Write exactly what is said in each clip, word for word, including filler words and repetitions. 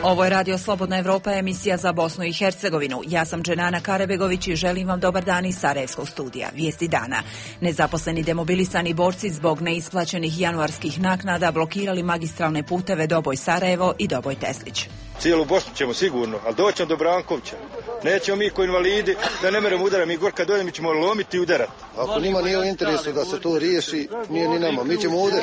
Ovo je Radio Slobodna Evropa, emisija za Bosnu i Hercegovinu. Ja sam Dženana Karebegović i želim vam dobar dan iz Sarajevskog studija. Vijesti dana. Nezaposleni demobilisani borci zbog neisplaćenih januarskih naknada blokirali magistralne puteve Doboj-Sarajevo i Doboj-Teslić. Cijelu Bosnu ćemo sigurno, ali doćemo do Brankovića. Nećemo mi ko invalidi da ne meremo udarati, mi gor kad dođemo mi ćemo lomiti i udarati. Ako njima nije u interesu da se to riješi, nije ni nama. Mi ćemo ovdje,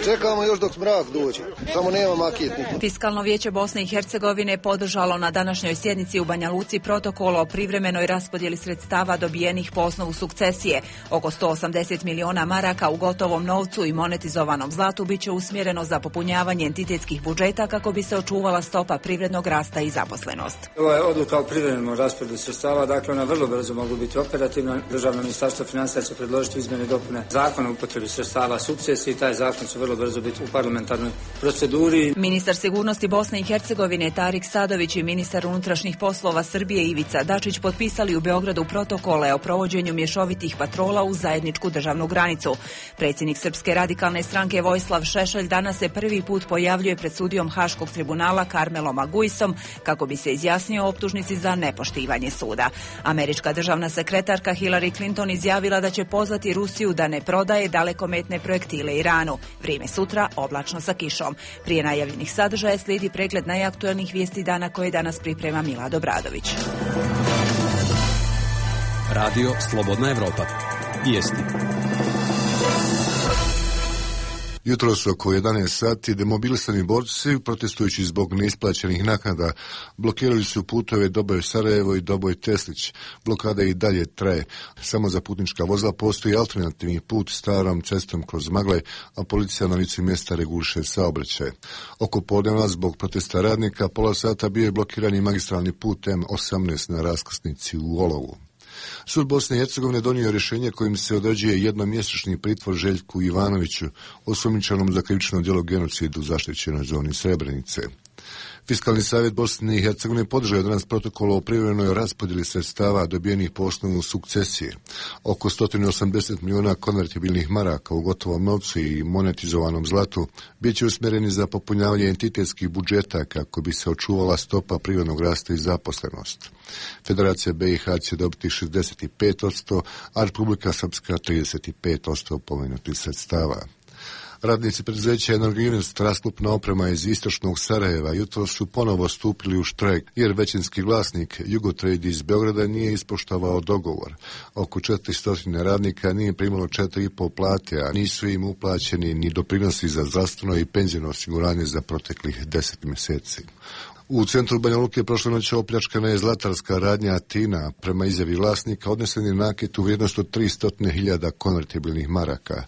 čekamo još dok mrak dođe, samo nema maketnika. Fiskalno vijeće Bosne i Hercegovine podržalo na današnjoj sjednici u Banja Luci protokol o privremenoj raspodjeli sredstava dobijenih po osnovu sukcesije. Oko sto osamdeset miliona maraka u gotovom novcu i monetizovanom zlatu bit će usmjereno za popunjavanje entitetskih budžeta kako bi se očuvala stopa privrednog rasta i zaposlenost. Ova je odluka o privremenom raspodjeli sredstava, dakle ona vrlo brzo mogu biti operativna. Državno ministarstvo financija će predložiti izmjene i dopune zakona o upotrebi sredstava sukcesije i taj zakon će vrlo brzo biti u parlamentarnoj proceduri. Ministar sigurnosti Bosne i Hercegovine Tarik Sadović i ministar unutrašnjih poslova Srbije Ivica Dačić potpisali u Beogradu protokole o provođenju mješovitih patrola uz zajedničku državnu granicu. Predsjednik Srpske radikalne stranke Vojislav Šešelj danas se prvi put pojavljuje pred sudijom Haškog tribunala Karmelom Aguisom kako bi se izjasnio o optužnici za nepoštivanje suda. Američka državna sekretarka Hillary Clinton izjavila da će pozvati Rusiju da ne prodaje dalekometne projektile Iranu. Vrijeme sutra oblačno sa kišom. Prije najavljenih sadržaja slijedi pregled najaktuelnijih vijesti dana koje danas priprema Milad Obradović. Radio Slobodna Evropa. Vijesti. Jutros oko jedanaest sati demobilisani borci, protestujući zbog neisplaćenih naknada, blokirali su putove Doboj-Sarajevo i Doboj-Teslić. Blokada i dalje traje. Samo za putnička vozila postoji alternativni put starom cestom kroz Maglaj, a policija na licu mjesta reguliše saobraćaj. Oko podneva zbog protesta radnika pola sata bio je blokiran i magistralni put M osamnaest na raskrsnici u Olovu. Sud Bosne i Hercegovine donio rješenje kojim se određuje jednomjesečni pritvor Željku Ivanoviću, osumnjičenom za krivično djelo genocid u zaštićenoj zoni Srebrenice. Fiskalni savjet Bosne i Hercegovine podržao je danas protokol o privremenoj raspodjeli sredstava dobijenih po osnovu sukcesije. Oko sto osamdeset milijuna konvertibilnih maraka u gotovom novcu i monetizovanom zlatu bit će usmjereni za popunjavanje entitetskih budžeta kako bi se očuvala stopa privrednog rasta i zaposlenost. Federacija B i H će dobiti šezdeset pet posto, a Republika Srpska trideset pet posto pomenutih sredstava. Radnici preduzeća Energinvest, rasklopna oprema iz istočnog Sarajeva, jutro su ponovo stupili u štrajk jer većinski vlasnik Jugotrade iz Beograda nije ispoštovao dogovor. Oko četiristo radnika nije primalo četiri i pol plate, a nisu im uplaćeni ni doprinosi za zdravstveno i penzijno osiguranje za proteklih deset mjeseci. U centru Banja Luke prošle noći opljačkana je zlatarska radnja Atina. Prema izjavi vlasnika odnesen je naket u vrijednost od tristo hiljada konvertibilnih maraka.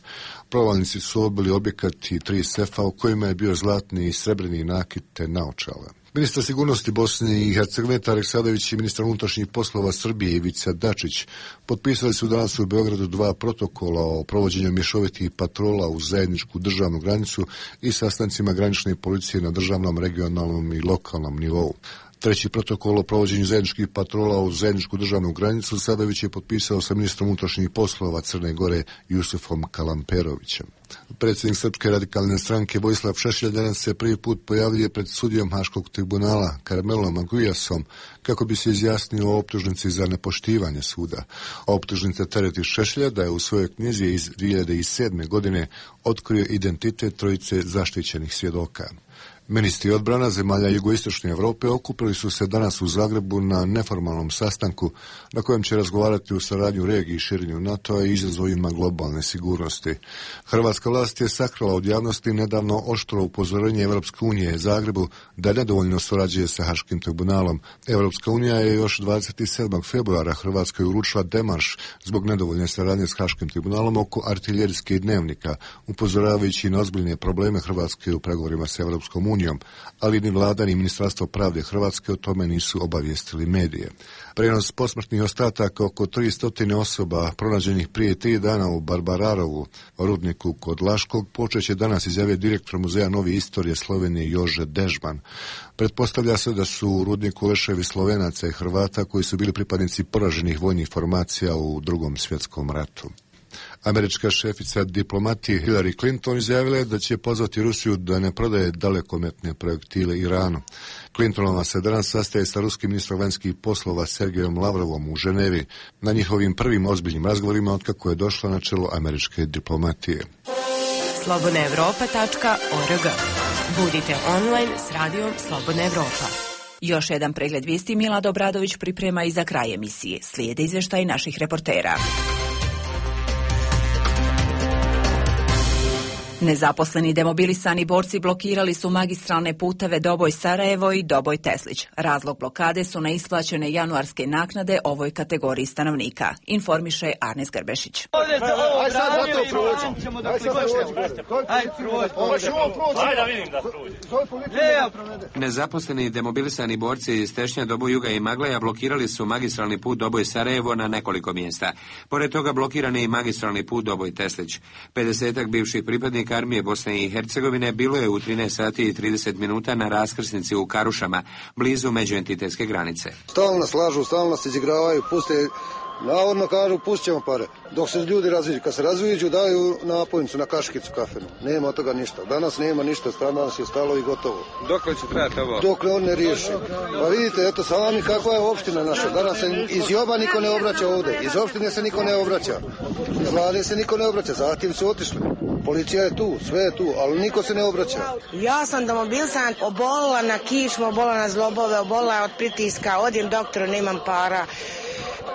Provalnici su obili objekat i tri sefa u kojima je bio zlatni i srebrni nakit te naočala. Ministar sigurnosti Bosne i Hercegovine Tarik Sadović i ministar unutrašnjih poslova Srbije Ivica Dačić potpisali su danas u Beogradu dva protokola o provođenju mješovitih patrola uz zajedničku državnu granicu i sastancima granične policije na državnom, regionalnom i lokalnom nivou. Treći protokol o provođenju zajedničkih patrola uz zajedničku državnu granicu Sadović je potpisao sa ministrom unutrašnjih poslova Crne Gore Jusufom Kalamperovićem. Predsjednik Srpske radikalne stranke Vojislav Šešelj danas se prvi put pojavljuje pred sudijom Haškog tribunala Karmelom Aguisom kako bi se izjasnio o optužnici za nepoštivanje suda. Optužnica tereti Šešelja da je u svojoj knjizi iz dvije hiljade sedme. godine otkrio identitet trojice zaštićenih svjedoka. Ministri odbrana zemalja jugoistočne Europe okupili su se danas u Zagrebu na neformalnom sastanku na kojem će razgovarati o saradnji u regiji i širenju NATO-a i izazovima globalne sigurnosti. Hrvatska vlast je sakrila od javnosti nedavno oštro upozorenje Evropske unije Zagrebu da nedovoljno surađuje sa Haškim tribunalom. Evropska unija je još dvadeset sedmog februara Hrvatskoj uručila demarš zbog nedovoljne saradnje s Haškim tribunalom oko artiljerijskih dnevnika, upozoravajući na ozbiljne probleme Hrvatske u pregovorima s Evropskom unijom, ali ni vlada ni Ministarstvo pravde Hrvatske o tome nisu obavijestili medije. Prenos posmrtnih ostataka oko tristo osoba pronađenih prije tri dana u Barbararovu, rudniku kod Laškog, počeće danas, izjavio direktor Muzeja Novi istorije Slovenije Jože Dežman. Pretpostavlja se da su u rudniku leševi Slovenaca i Hrvata koji su bili pripadnici poraženih vojnih formacija u Drugom svjetskom ratu. Američka šefica diplomatije Hillary Clinton izjavila je da će pozvati Rusiju da ne prodaje dalekometne projektile Iranu. Clintonova se danas sastaje sa ruskim ministrom vanjskih poslova Sergejom Lavrovom u Ženevi na njihovim prvim ozbiljnim razgovorima otkako je došla na čelo američke diplomatije. slobodna evropa tačka org. Budite online s radijom Slobodna Evropa. Još jedan pregled vijesti Milad Obradović priprema i za kraj emisije. Slijede izvještaj naših reportera. Nezaposleni demobilisani borci blokirali su magistralne puteve Doboj Sarajevo i Doboj Teslić. Razlog blokade su neisplaćene januarske naknade ovoj kategoriji stanovnika, informiše Arnes Grbešić. Nezaposleni demobilisani borci iz Tešnja, Doboj Juga i Magleja blokirali su magistralni put Doboj Sarajevo na nekoliko mjesta. Pored toga blokiran je i magistralni put Doboj Teslić. pedesetak bivših pripadnika armije Bosne i Hercegovine bilo je u trinaest sati i trideset minuta na raskrsnici u Karušama, blizu međuentitetske granice. Stalno nas lažu, stalno nas izigravaju, puste, navodno kažu pustit ćemo pare. Dok se ljudi razviđu, kad se razviđu daju napojnicu na kaškicu kafenu. Nema od toga ništa. Danas nema ništa, danas je stalo i gotovo. Dokle će trajati ovo? Dokle on ne riješi. Pa vidite, eto sami kakva je opština naša. Danas se iz Joba niko ne obraća ovdje, iz opštine se niko ne obraća, iz vlade se niko ne obraća, zatim su otišli. Policija je tu, sve je tu, ali niko se ne obraća. Ja sam demobilisan, obolila na kičmu, obolila na zlobove, obolila od pritiska, odim doktoru, nemam para.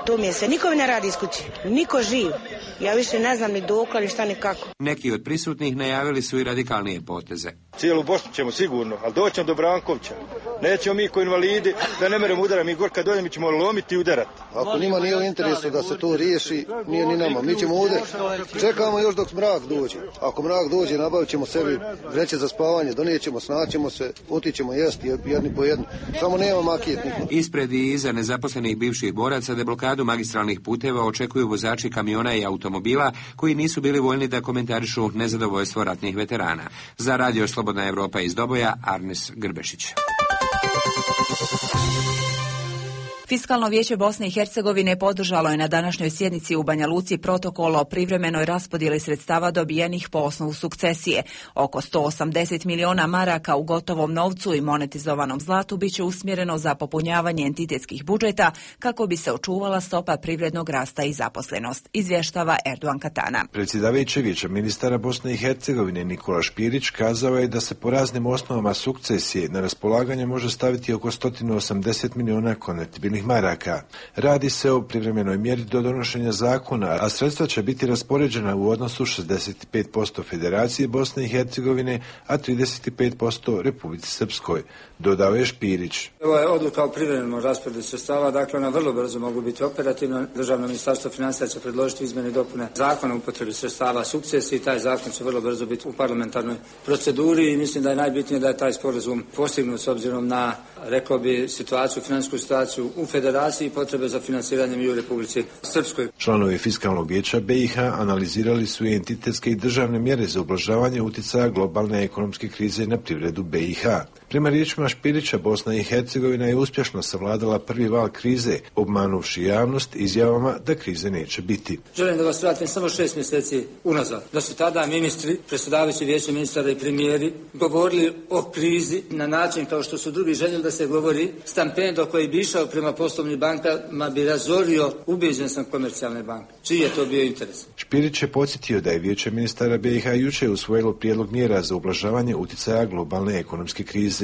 To mi je se, niko mi ne radi iz kuće, niko živ. Ja više ne znam ni dokle, ni šta, ni kako. Neki od prisutnih najavili su i radikalnije poteze. Cijelu Bosnu ćemo sigurno, ali doćemo do Brankovća. Nećemo mi ko invalidi da ne meremo udara, mi gor kad dođemo mi ćemo lomiti i udarati. Ako njima nije u interesu da se to riješi, nije ni nama. Mi ćemo ovdje, čekamo još dok mrak dođe. Ako mrak dođe, nabavit ćemo sebi vreće za spavanje, donijećemo, snaćemo se, otićemo jesti jedni po jedni. Samo nema makijet niko. Ispred i iza nezaposlenih bivših boraca deblokadu magistralnih puteva očekuju vozači kamiona i automobila koji nisu bili voljni da komentarišu nezadovoljstvo ratnih veterana. Za radio Slobodna Evropa iz Doboja, Arnes Grbešić. Fiskalno vijeće Bosne i Hercegovine podržalo je na današnjoj sjednici u Banja Luci protokol o privremenoj raspodjeli sredstava dobijenih po osnovu sukcesije. Oko sto osamdeset miliona maraka u gotovom novcu i monetizovanom zlatu biće usmjereno za popunjavanje entitetskih budžeta kako bi se očuvala stopa privrednog rasta i zaposlenost, izvještava Erdogan Katana. Predsjedavajući vijeća ministara Bosne i Hercegovine Nikola Špirić kazao je da se po raznim osnovama sukcesije na raspolaganje može staviti oko sto osamdeset miliona konvertibilnih maraka. Radi se o privremenoj mjeri do donošenja zakona, a sredstva će biti raspoređena u odnosu šezdeset pet posto Federaciji Bosne i Hercegovine, a trideset pet posto Republici Srpskoj, dodao je Špirić. Ovo je odluka o privremenom rasporedu sredstava, dakle ona vrlo brzo mogu biti operativna. Državno ministarstvo financija će predložiti izmjene i dopune zakona o upotrebi sredstava sukcesije i taj zakon će vrlo brzo biti u parlamentarnoj proceduri i mislim da je najbitnije da je taj sporazum postignut s obzirom na, rekao bi, situaciju, financijsku situaciju u Federaciji i potrebe za financiranjem i u Republici Srpskoj. Članovi Fiskalnog vijeća B i H analizirali su i entitetske i državne mjere za ublažavanje utjecaja globalne ekonomske krize na privredu B i H. Prema riječima Špirića, Bosna i Hercegovina je uspješno savladala prvi val krize, obmanuvši javnost izjavama da krize neće biti. Želim da vas vratim samo šest mjeseci unazad. Da su tada ministri, predsjedavajući vijeće ministara i premijeri govorili o krizi na način kao što su drugi željeli da se govori, stampendo koji bi išao prema poslovnim bankama bi razorio, ubeđen sam, komercijalne banke. Čiji je to bio interes? Špirić je podsjetio da je vijeće ministara B i H jučer usvojilo prijedlog mjera za ublažavanje utjecaja globalne ekonomske krize.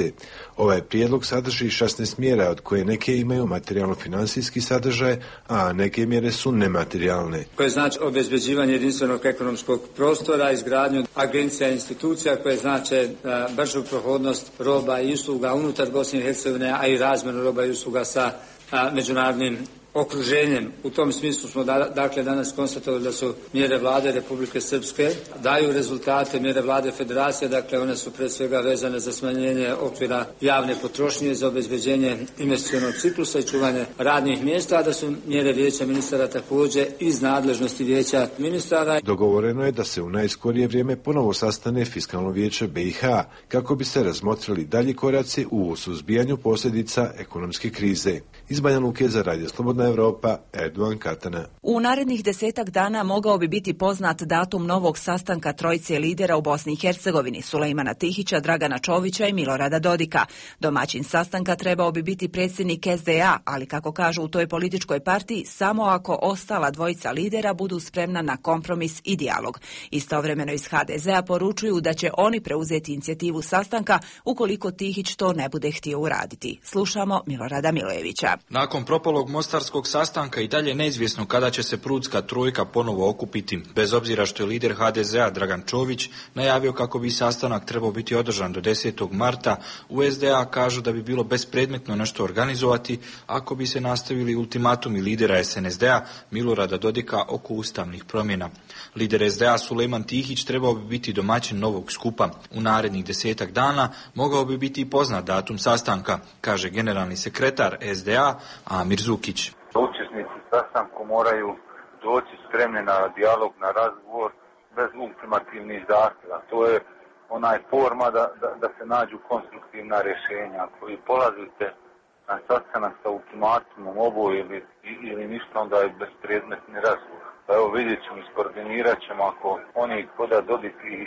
Ovaj prijedlog sadrži šesnaest mjera, od koje neke imaju materijalno-financijski sadržaj, a neke mjere su nematerijalne. Koje znači obezbeđivanje jedinstvenog ekonomskog prostora, izgradnju agencija i institucija koje znače bržu prohodnost roba i usluga unutar Bosne i Hercegovine, a i razmjenu roba i usluga sa a, međunarodnim okruženjem. U tom smislu smo da, dakle danas konstatovali da su mjere vlade Republike Srpske daju rezultate, mjere vlade Federacije, dakle one su pre svega vezane za smanjenje okvira javne potrošnje, za obezbeđenje investicionog ciklusa i čuvanje radnih mjesta, a da su mjere vijeća ministara također iz nadležnosti vijeća ministara. Dogovoreno je da se u najskorije vrijeme ponovo sastane Fiskalno vijeće B i H kako bi se razmotrili dalji koraci u suzbijanju posljedica ekonomske krize. Iz Banja Luke za Radio Slobodna Evropa, Erdogan Katana. U narednih desetak dana mogao bi biti poznat datum novog sastanka trojice lidera u Bosni i Hercegovini, Sulejmana Tihića, Dragana Čovića i Milorada Dodika. Domaćin sastanka trebao bi biti predsjednik es de a, ali kako kažu u toj političkoj partiji, samo ako ostala dvojica lidera budu spremna na kompromis i dijalog. Istovremeno iz ha de zea poručuju da će oni preuzeti inicijativu sastanka ukoliko Tihić to ne bude htio uraditi. Slušamo Milorada Milojevića. Nakon propalog mostarskog sastanka i dalje neizvjesno kada će se prudska trojka ponovo okupiti, bez obzira što je lider ha de zea Dragan Čović najavio kako bi sastanak trebao biti održan do desetog marta, u es de a kažu da bi bilo bespredmetno nešto organizovati ako bi se nastavili ultimatumi lidera es en es de a Milorada Dodika oko ustavnih promjena. Lider es de a Sulejman Tihić trebao bi biti domaćin novog skupa. U narednih desetak dana mogao bi biti i poznat datum sastanka, kaže generalni sekretar es de a Amir Zukić. Učesnici sastanku moraju doći spremni na dijalog, na razgovor bez ultimativnih zahtjeva. To je onaj forma da, da, da se nađu konstruktivna rješenja. Ako vi polazite na sastanak sa ultimatumom oboje ili, ili ništa, onda je bespredmetni razgovor. Pa evo vidjet ćemo, iskoordinirat ćemo, ako oni koda Dodik i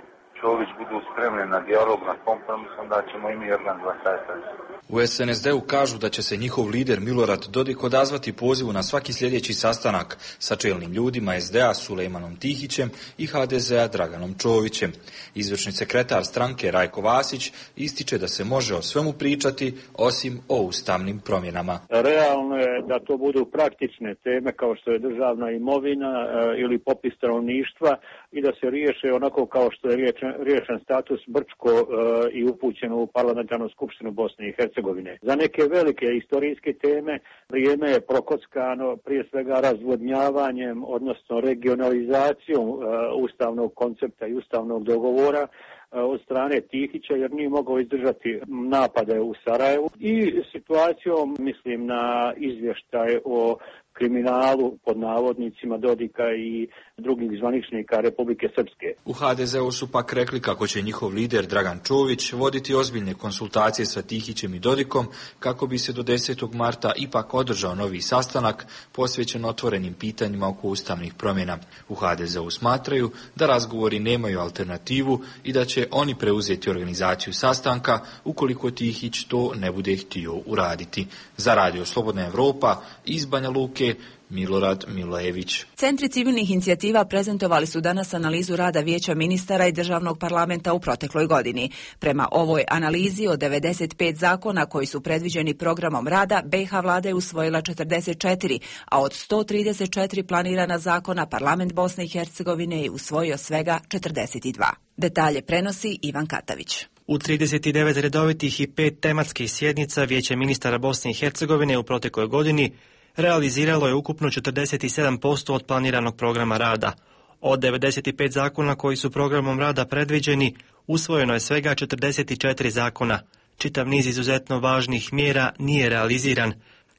Čović budu spremni na dijalog, na kompromis, onda ćemo i mi organizovati taj sastanak. U es en es de u kažu da će se njihov lider Milorad Dodik odazvati pozivu na svaki sljedeći sastanak sa čelnim ljudima es de a Sulejmanom Tihićem i ha de zea Draganom Čovićem. Izvršni sekretar stranke Rajko Vasić ističe da se može o svemu pričati osim o ustavnim promjenama. Realno je da to budu praktične teme kao što je državna imovina e, ili popis stanovništva i da se riješe onako kao što je riješen, riješen status Brčko e, i upućeno u parlamentarnu skupštinu Bosne i Hercegovine. Za neke velike historijske teme vrijeme je prokockano prije svega razvodnjavanjem, odnosno regionalizacijom e, ustavnog koncepta i ustavnog dogovora e, od strane Tihića, jer nije mogao izdržati napade u Sarajevu, i situacijom, mislim, na izvještaj o kriminalu pod navodnicima Dodika i drugih zvaničnika Republike Srpske. U ha de zeu su pak rekli kako će njihov lider Dragan Čović voditi ozbiljne konsultacije sa Tihićem i Dodikom kako bi se do desetog marta ipak održao novi sastanak posvećen otvorenim pitanjima oko ustavnih promjena. U ha de zeu smatraju da razgovori nemaju alternativu i da će oni preuzeti organizaciju sastanka ukoliko Tihić to ne bude htio uraditi. Za Radio Slobodna Evropa iz Banja Luke, Milorad Milojević. Centri civilnih inicijativa prezentovali su danas analizu rada Vijeća ministara i državnog parlamenta u protekloj godini. Prema ovoj analizi od devedeset pet zakona koji su predviđeni programom rada, be ha vlada je usvojila četrdeset četiri, a od sto trideset četiri planirana zakona parlament Bosne i Hercegovine je usvojio svega četrdeset dva. Detalje prenosi Ivan Katavić. U trideset devet redovitih i pet tematskih sjednica Vijeće ministara Bosne i Hercegovine u protekloj godini realiziralo je ukupno četrdeset sedam posto od planiranog programa rada. Od devedeset pet zakona koji su programom rada predviđeni, usvojeno je svega četrdeset četiri zakona. Čitav niz izuzetno važnih mjera nije realiziran,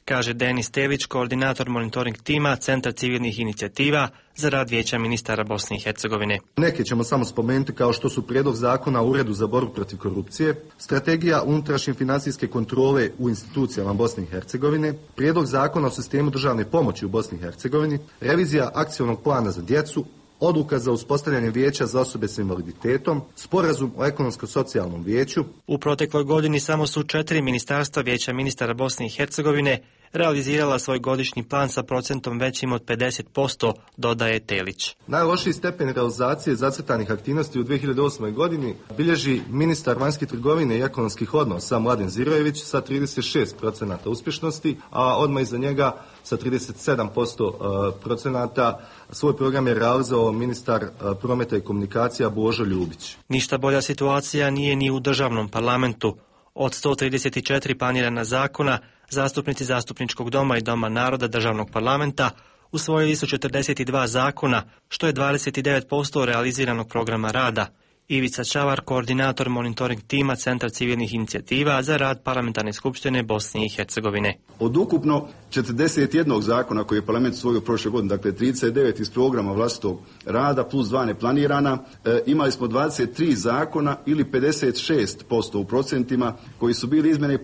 kaže Denis Telić, koordinator monitoring tima Centra civilnih inicijativa za rad Vijeća ministara Bosne i Hercegovine. Neke ćemo samo spomenuti kao što su prijedlog zakona o Uredu za borbu protiv korupcije, strategija unutrašnje financijske kontrole u institucijama Bosne i Hercegovine, prijedlog zakona o sistemu državne pomoći u Bosni i Hercegovini, revizija akcionog plana za djecu, odluka za uspostavljanje vijeća za osobe s invaliditetom, sporazum o ekonomsko-socijalnom vijeću. U protekloj godini samo su četiri ministarstva Vijeća ministara Bosne i Hercegovine realizirala svoj godišnji plan sa procentom većim od pedeset posto, dodaje Telić. Najlošiji stepen realizacije zacrtanih aktivnosti u dvije hiljade osmoj godini bilježi ministar vanjske trgovine i ekonomskih odnosa Mladen Zirojević sa trideset šest procenata uspješnosti, a odmah iza njega sa trideset sedam posto procenata svoj program je realizovao ministar prometa i komunikacija Božo Ljubić. Ništa bolja situacija nije ni u državnom parlamentu. Od sto trideset četiri planirana zakona, zastupnici Zastupničkog doma i Doma naroda državnog parlamenta usvojili su četrdeset dva zakona, što je dvadeset devet posto realiziranog programa rada. Ivica Čavar, koordinator monitoring tima Centra civilnih inicijativa za rad Parlamentarne skupštine Bosne i Hercegovine. Od ukupno četrdeset jedan zakona koje je parlament usvojio prošle godine, dakle trideset devet iz programa vlastitog rada plus dva neplanirana, e, imali smo dvadeset tri zakona ili pedeset šest posto u procentima koji su bili izmjene,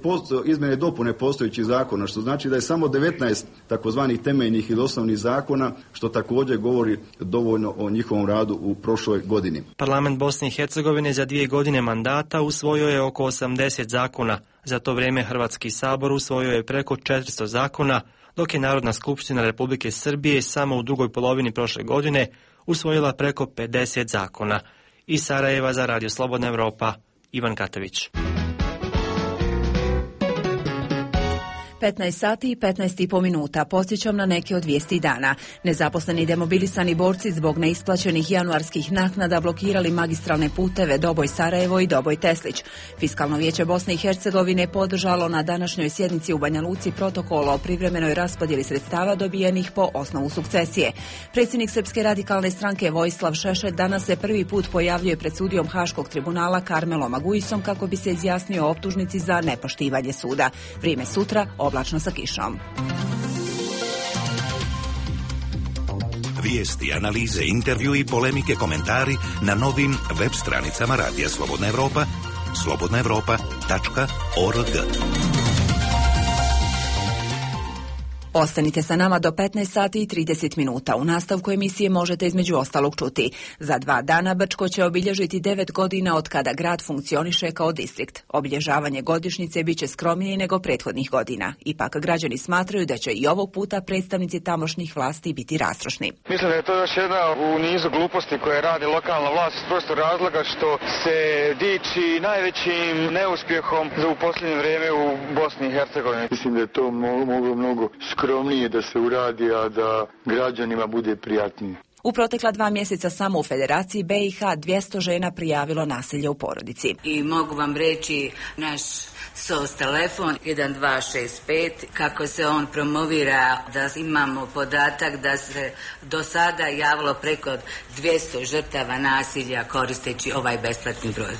izmjene dopune postojećih zakona, što znači da je samo devetnaest takozvanih temeljnih ili osnovnih zakona, što također govori dovoljno o njihovom radu u prošloj godini. Parlament Bosne i Hercegovine za dvije godine mandata usvojio je oko osamdeset zakona. Za to vrijeme Hrvatski sabor usvojio je preko četiristo zakona, dok je Narodna skupština Republike Srbije samo u drugoj polovini prošle godine usvojila preko pedeset zakona. Iz Sarajeva za Radio Slobodna Evropa, Ivan Katović. petnaest sati i petnaest i po minuta. Podsjećam na neke od vijesti dana. Nezaposleni i demobilisani borci zbog neisplaćenih januarskih naknada blokirali magistralne puteve Doboj Sarajevo i Doboj Teslić. Fiskalno vijeće Bosne i Hercegovine podržalo na današnjoj sjednici u Banja Luci protokol o privremenoj raspodjeli sredstava dobijenih po osnovu sukcesije. Predsjednik Srpske radikalne stranke Vojislav Šešelj danas se prvi put pojavljuje pred sudijom Haškog tribunala Karmelom Aguisom kako bi se izjasnio o optužnici za nepoštivanje suda. Vrijeme sutra oblačno sa kišom. Vijesti, analize, intervju i polemike, komentari na novim web stranicama Radija Slobodna Evropa, slobodna evropa tačka org. Ostanite sa nama do petnaest sati i trideset minuta. U nastavku emisije možete između ostalog čuti. Za dva dana Brčko će obilježiti devet godina od kada grad funkcioniše kao distrikt. Obilježavanje godišnjice bit će skromnije nego prethodnih godina. Ipak građani smatraju da će i ovog puta predstavnici tamošnjih vlasti biti rastrošni. Mislim da je to još jedna u nizu gluposti koje radi lokalna vlast iz prostog razloga što se diči najvećim neuspjehom u posljednje vrijeme u Bosni i Hercegovini. Mislim da je to moglo mnogo skromnije da se uradi, a da građanima bude prijatnije. U protekla dva mjeseca samo u Federaciji B i H dvjesto žena prijavilo nasilje u porodici. I mogu vam reći naš S O S telefon jedan dva šest pet, kako se on promovira, da imamo podatak da se do sada javilo preko dvjesto žrtava nasilja koristeći ovaj besplatni broj.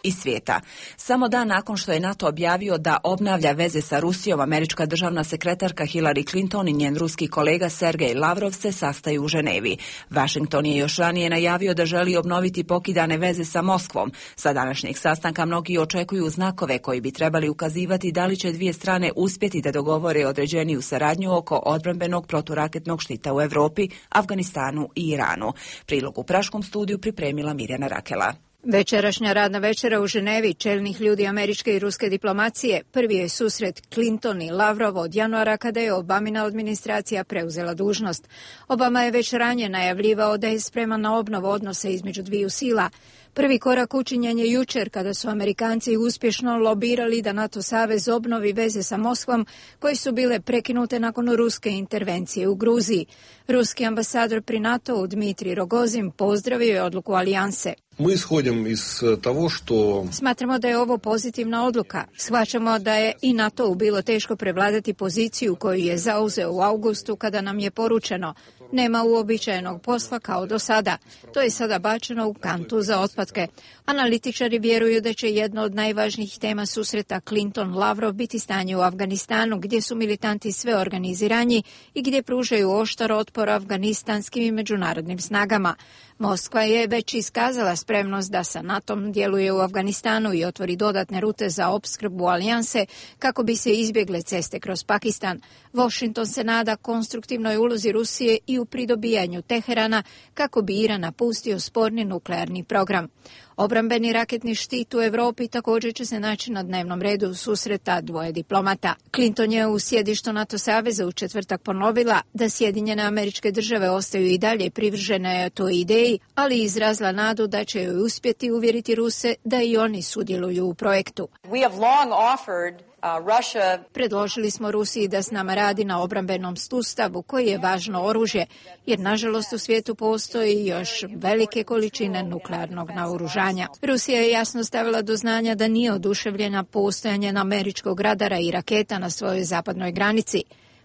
Iz svijeta. Samo dan nakon što je NATO objavio da obnavlja veze sa Rusijom, američka državna sekretarka Hillary Clinton i njen ruski kolega Sergej Lavrov se sastaju u Ženevi. Washington je još ranije najavio da želi obnoviti pokidane veze sa Moskvom. Sa današnjeg sastanka mnogi očekuju znakove koji bi trebali ukazivati da li će dvije strane uspjeti da dogovore određeniju saradnju oko odbrambenog proturaketnog štita u Europi, Afganistanu i Iranu. Prilog u Praškom studiju pripremila Mirjana Rakela. Večerašnja radna večera u Ženevi čelnih ljudi američke i ruske diplomacije prvi je susret Clinton i Lavrov od januara kada je Obamina administracija preuzela dužnost. Obama je već ranije najavljivao da je spreman na obnovu odnosa između dviju sila. Prvi korak učinjen je jučer kada su Amerikanci uspješno lobirali da NATO savez obnovi veze sa Moskvom koje su bile prekinute nakon ruske intervencije u Gruziji. Ruski ambasador pri NATO-u Dmitrij Rogozin pozdravio je odluku alijanse. Mi ishodimo iz toho što... Smatramo da je ovo pozitivna odluka. Shvaćamo da je i NATO-u bilo teško prevladati poziciju koju je zauzeo u augustu kada nam je poručeno nema uobičajenog posla kao do sada. To je sada bačeno u kantu za otpatke. Analitičari vjeruju da će jedno od najvažnijih tema susreta Clinton-Lavrov biti stanje u Afganistanu, gdje su militanti sve organiziraniji i gdje pružaju oštar otpor afganistanskim i međunarodnim snagama. Moskva je već iskazala spremnost da sa NATO-om djeluje u Afganistanu i otvori dodatne rute za opskrbu alijanse kako bi se izbjegle ceste kroz Pakistan. Washington se nada konstruktivnoj ulozi Rusije i u pridobijanju Teherana kako bi Iran napustio sporni nuklearni program. Obrambeni raketni štit u Europi također će se naći na dnevnom redu susreta dvoje diplomata. Clinton je u sjedištu NATO saveza u četvrtak ponovila da Sjedinjene Američke Države ostaju i dalje privržene toj ideji, ali izrazila nadu da će joj uspjeti uvjeriti Ruse da i oni sudjeluju u projektu. We have long offered Uh, Russia... Predložili smo Rusiji da s nama radi na obrambenom sustavu koji je važno oružje, jer nažalost u svijetu postoji još velike količine nuklearnog naoružanja. Rusija je jasno stavila do znanja da nije oduševljena postojanjem američkog radara i raketa na svojoj zapadnoj granici.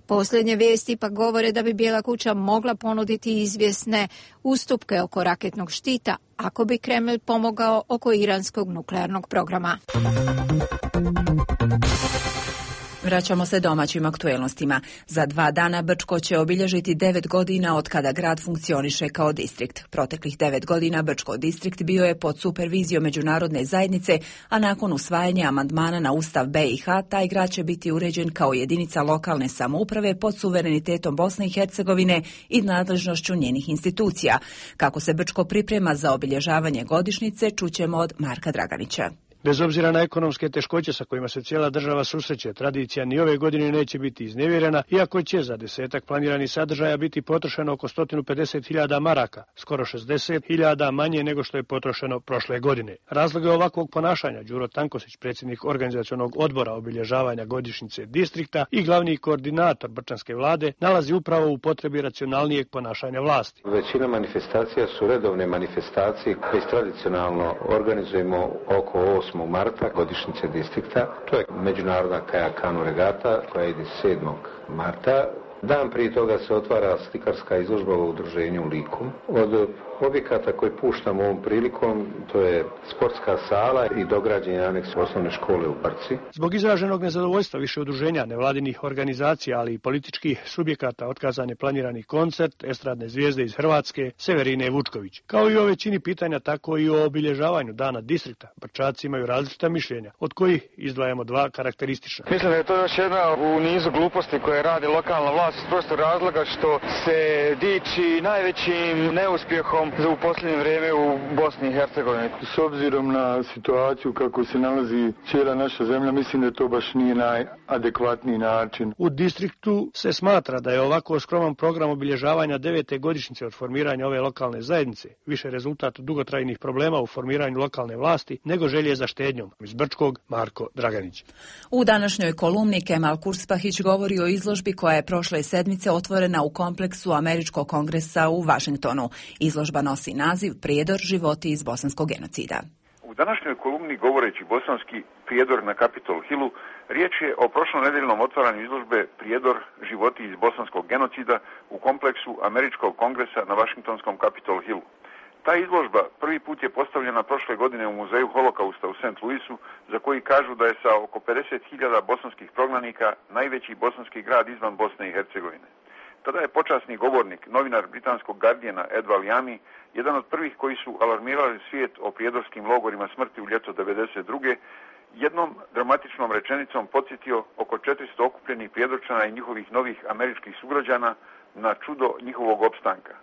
Posljednje vijesti pa govore da bi Bijela kuća mogla ponuditi izvjesne ustupke oko raketnog štita ako bi Kreml pomogao oko iranskog nuklearnog programa. Vraćamo se domaćim aktuelnostima. Za dva dana Brčko će obilježiti devet godina od kada grad funkcioniše kao distrikt. Proteklih devet godina Brčko distrikt bio je pod supervizijom međunarodne zajednice, a nakon usvajanja amandmana na Ustav B i H, taj grad će biti uređen kao jedinica lokalne samouprave pod suverenitetom Bosne i Hercegovine i nadležnošću njenih institucija. Kako se Brčko priprema za obilježavanje godišnjice, čućemo od Marka Draganića. Bez obzira na ekonomske teškoće sa kojima se cijela država susreće, tradicija ni ove godine neće biti iznevjerena, iako će za desetak planiranih sadržaja biti potrošeno oko sto pedeset hiljada maraka, skoro šezdeset hiljada manje nego što je potrošeno prošle godine. Razloge ovakvog ponašanja Đuro Tankosić, predsjednik organizacionog odbora obilježavanja godišnjice distrikta i glavni koordinator brčanske vlade, nalazi upravo u potrebi racionalnijeg ponašanja vlasti. Većina manifestacija su redovne manifestacije koje tradicionalno organizujemo oko osmog marta, godišnjice distrikta. To je međunarodna kajakanu regata koja ide sedmog marta. Dan prije toga se otvara slikarska izložba u udruženju u Liku. Od objekata koje puštamo ovom prilikom, to je sportska sala i dograđeni aneks osnovne škole u Brci. Zbog izraženog nezadovoljstva više udruženja, nevladinih organizacija, ali i političkih subjekata, otkazan je planirani koncert estradne zvijezde iz Hrvatske Severine Vučković. Kao i o većini pitanja, tako i o obilježavanju dana distrikta. Brčaci imaju različita mišljenja, od kojih izdvajamo dva karakteristična. Mislim da je to još jedna u nizu gluposti koje radi lokalna vlast iz prostog razloga što se diči najvećim neuspjehom u posljednje vrijeme u Bosni i Hercegovini. S obzirom na situaciju kako se nalazi cijela naša zemlja, mislim da to baš nije najadekvatniji način. U distriktu se smatra da je ovako skroman program obilježavanja devete godišnjice od formiranja ove lokalne zajednice više rezultat dugotrajnih problema u formiranju lokalne vlasti nego želje za štednjom. Iz Brčkog, Marko Draganić. U današnjoj kolumni Kemal Kurspahić govori o izložbi koja je prošle sedmice otvorena u kompleksu Američkog kongresa u Vašingtonu. Izložba nosi naziv Prijedor životi iz bosanskog genocida. U današnjoj kolumni govoreći bosanski Prijedor na Capitol Hillu, riječ je o prošlonedeljnom otvaranju izložbe Prijedor životi iz bosanskog genocida u kompleksu Američkog kongresa na Vašingtonskom Capitol Hillu. Ta izložba prvi put je postavljena prošle godine u muzeju Holokausta u Saint Louisu, za koji kažu da je sa oko pedeset hiljada bosanskih prognanika najveći bosanski grad izvan Bosne i Hercegovine. Tada je počasni govornik, novinar britanskog Guardiana Ed Valiami, jedan od prvih koji su alarmirali svijet o prijedorskim logorima smrti u ljeto devedeset druge, jednom dramatičnom rečenicom podsjetio oko četiristo okupljenih prijedorčana i njihovih novih američkih sugrađana na čudo njihovog opstanka.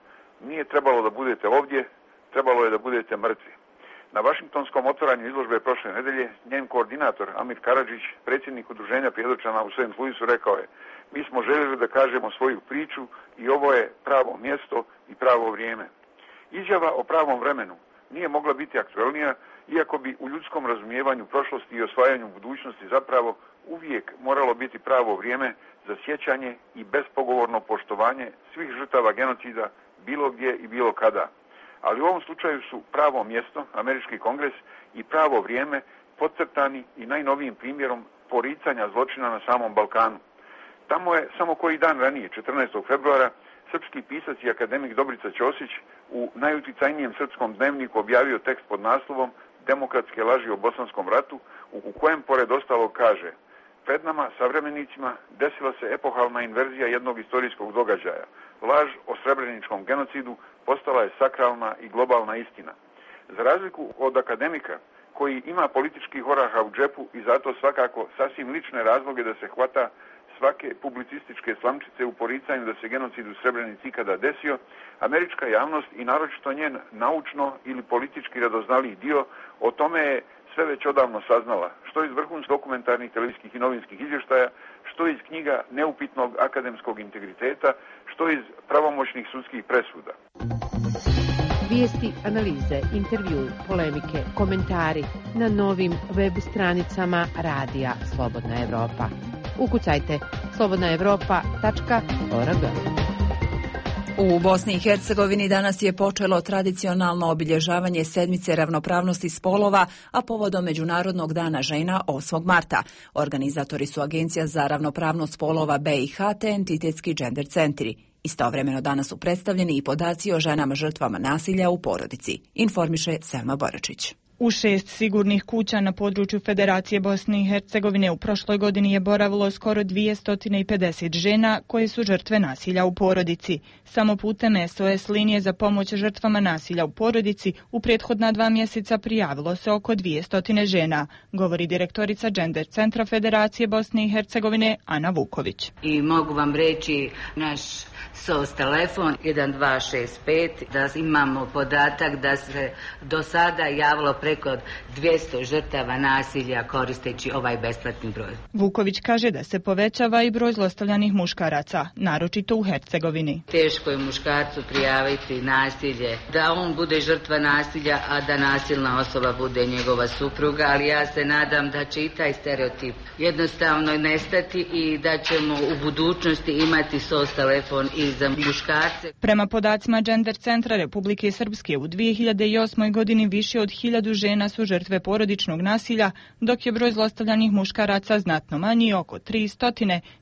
Nije trebalo da budete ovdje, trebalo je da budete mrtvi. Na Vašingtonskom otvaranju izložbe prošle nedelje, njen koordinator Amir Karadžić, predsjednik udruženja prijedorčana u Saint Louisu, rekao je: mi smo željeli da kažemo svoju priču i ovo je pravo mjesto i pravo vrijeme. Izjava o pravom vremenu nije mogla biti aktuelnija, iako bi u ljudskom razumijevanju prošlosti i osvajanju budućnosti zapravo uvijek moralo biti pravo vrijeme za sjećanje i bespogovorno poštovanje svih žrtava genocida bilo gdje i bilo kada. Ali u ovom slučaju su pravo mjesto, Američki kongres, i pravo vrijeme podcrtani i najnovijim primjerom poricanja zločina na samom Balkanu. Tamo je samo koji dan ranije, četrnaestog februara, srpski pisac i akademik Dobrica Ćosić u najuticajnijem srpskom dnevniku objavio tekst pod naslovom Demokratske laži o Bosanskom ratu, u kojem pored ostalog kaže: pred nama, savremenicima, desila se epohalna inverzija jednog istorijskog događaja. Laž o srebreničkom genocidu postala je sakralna i globalna istina. Za razliku od akademika, koji ima političkih oraha u džepu i zato svakako sasvim lične razloge da se hvata svake publicističke slamčice u poricanju da se genocid u Srebrenici ikada desio, američka javnost i naročito njen naučno ili politički radoznaliji dio o tome je sve već odavno saznala, što iz vrhunskih dokumentarnih televizijskih i novinskih izvještaja, što iz knjiga neupitnog akademskog integriteta, što iz pravomoćnih sudskih presuda. Vijesti, analize, intervju, polemike, komentari na novim web stranicama Radija Slobodna Evropa. Ukucajte slobodna evropa tačka org. U Bosni i Hercegovini danas je počelo tradicionalno obilježavanje sedmice ravnopravnosti spolova, a povodom Međunarodnog dana žena osmog marta. Organizatori su Agencija za ravnopravnost spolova B i H te entitetski gender centri. Istovremeno danas su predstavljeni i podaci o ženama žrtvama nasilja u porodici, informiše Selma Boračić. U šest sigurnih kuća na području Federacije Bosne i Hercegovine u prošloj godini je boravilo skoro dvjesto pedeset žena koje su žrtve nasilja u porodici. Samo putem S O S linije za pomoć žrtvama nasilja u porodici u prethodna dva mjeseca prijavilo se oko dvjesto žena, govori direktorica Gender centra Federacije Bosne i Hercegovine Ana Vuković. I mogu vam reći naš S O S telefon jedan dva šest pet, da imamo podatak da se do sada javilo preko dvjesto žrtava nasilja koristeći ovaj besplatni broj. Vuković kaže da se povećava i broj zlostavljanih muškaraca, naročito u Hercegovini. Teško je muškarcu prijaviti nasilje, da on bude žrtva nasilja, a da nasilna osoba bude njegova supruga, ali ja se nadam da će i taj stereotip jednostavno nestati i da ćemo u budućnosti imati S O S telefon i za muškarce. Prema podacima Gender centra Republike Srpske u dvije hiljade osmoj godini više od hiljadu žena su žrtve porodičnog nasilja, dok je broj zlostavljanih muškaraca znatno manji, oko tristo,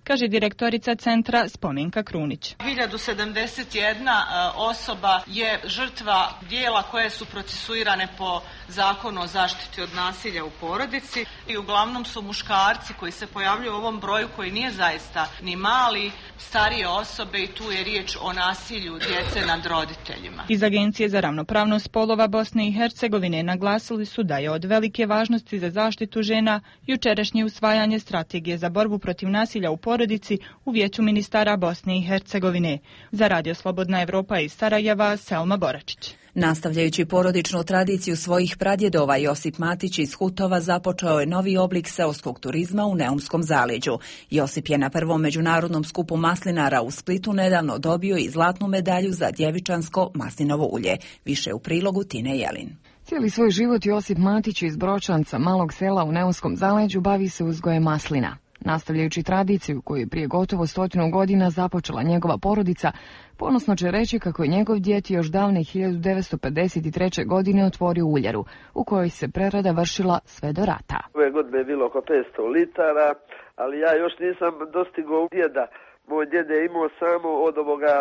kaže direktorica centra Spomenka Krunić. hiljadu sedamdeset jedna osoba je žrtva dijela koje su procesuirane po zakonu o zaštiti od nasilja u porodici i uglavnom su muškarci koji se pojavljuju u ovom broju koji nije zaista ni mali, starije osobe i tu je riječ o nasilju djece nad roditeljima. Iz Agencije za ravnopravnost spolova Bosne i Hercegovine naglasili su da je od velike važnosti za zaštitu žena jučerašnje usvajanje strategije za borbu protiv nasilja u porodici u Vijeću ministara Bosne i Hercegovine. Za Radio Slobodna Evropa iz Sarajeva, Selma Boračić. Nastavljajući porodičnu tradiciju svojih pradjedova, Josip Matić iz Hutova započeo je novi oblik seoskog turizma u Neumskom zaleđu. Josip je na prvom međunarodnom skupu maslinara u Splitu nedavno dobio i zlatnu medalju za djevičansko maslinovo ulje. Više u prilogu Tine Jelin. Cijeli svoj život Josip Matić iz Bročanca, malog sela u Neumskom zaleđu, bavi se uzgojem maslina. Nastavljajući tradiciju koju je prije gotovo stotinu godina započela njegova porodica, ponosno će reći kako je njegov djed još davne hiljadu devetsto pedeset treće. godine otvorio uljaru, u kojoj se prerada vršila sve do rata. Ove godine je bilo oko petsto litara, ali ja još nisam dostigao djeda. Moj djed je imao samo od ovoga,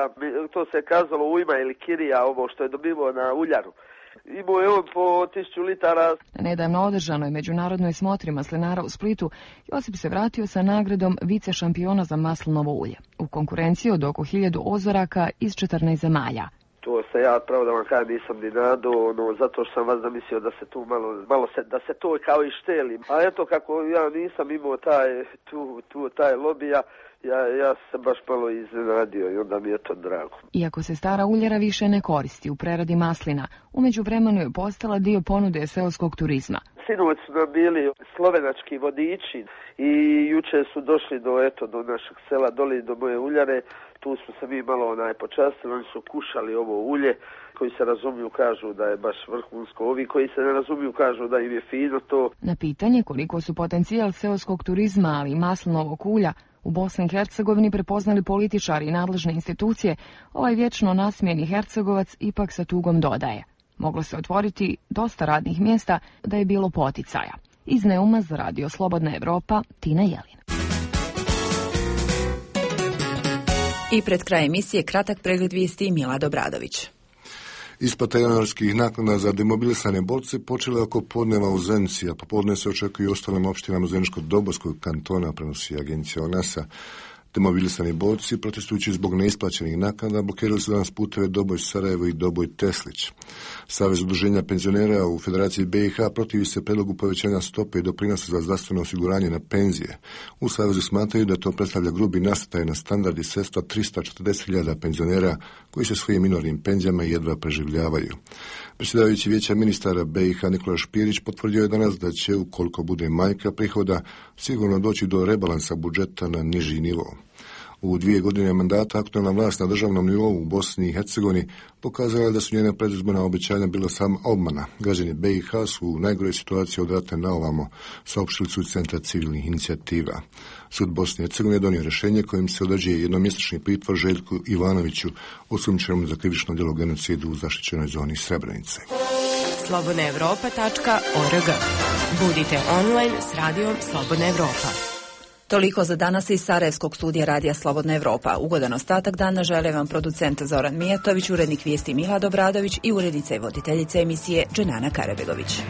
to se kazalo ujma ili kirija, ovo što je dobivao na uljaru. Imao je on po tisuću litara. Na nedavno održanoj međunarodnoj smotri maslinara u Splitu, Josip se vratio sa nagradom vice šampiona za maslinovo ulje, u konkurenciji od oko hiljadu ozoraka iz četrnaest zemalja. To se ja, pravo da vam kažem, nisam ni nado, ono, zato što sam vas zamislio da se tu malo, malo se, da se to kao i šteli. A eto, kako ja nisam imao taj, tu, tu, taj lobija, Ja, ja sam baš malo iznenadio i onda mi je to drago. Iako se stara uljara više ne koristi u preradi maslina, u međuvremenu je postala dio ponude seoskog turizma. Sinoć su nam bili slovenački vodiči i juče su došli do, eto, do našeg sela, doli do moje uljare. Tu smo se mi malo onaj počastili, oni su kušali ovo ulje, koji se razumiju kažu da je baš vrhunsko, ovi koji se ne razumiju kažu da im je fino to. Na pitanje koliko su potencijal seoskog turizma, ali i maslinovog ulja u Bosni i Hercegovini prepoznali političari i nadležne institucije, ovaj vječno nasmijeni Hercegovac ipak sa tugom dodaje: moglo se otvoriti dosta radnih mjesta da je bilo poticaja. Iz Neuma za Radio Slobodna Evropa, Tina Jelin. I pred kraj emisije kratak pregled vijesti Milad Obradović. Isplata januarskih naknada za demobilisane borce počela oko podneva u Zenici, a popodne se očekuje i ostalim opštinama Zeničko-Dobojskog kantona, prenosi agencija ONAS-a. Demobilisani borci, protestujući zbog neisplaćenih naknada, blokirali su danas puteve Doboj Sarajevo i Doboj Teslić. Savez udruženja penzionera u Federaciji B i H protivi se predlogu povećanja stope i doprinosa za zdravstveno osiguranje na penzije. U Savezu smatraju da to predstavlja grubi nastaj na standard i sredstva tristo četrdeset hiljada penzionera koji se svojim minornim penzijama jedva preživljavaju. Predsjedavajući Vijeća ministara B i H Nikola Špirić potvrdio je danas da će, ukoliko bude manjka prihoda, sigurno doći do rebalansa budžeta na niži nivo. U dvije godine mandata aktualna vlast na državnom nivou u Bosni i Hercegovini pokazala je da su njena predizborna obećanja bila sama obmana. Građani B i H su u najgoroj situaciji od rata na ovamo, saopštili su Centra civilnih inicijativa. Sud Bosne i Hercegovine je donio rješenje kojim se određuje jednomjesečni pritvor Željku Ivanoviću, osumnjičenom za krivično djelo genocidu u zaštićenoj zoni Srebrenice. slobodna europa tačka org. Budite online s radijom Slobodna Evropa. Toliko za danas iz Sarajevskog studija Radija Slobodna Evropa. Ugodan ostatak dana žele vam producent Zoran Mijatović, urednik vijesti Milad Obradović i urednica i voditeljica emisije Dženana Karabegović.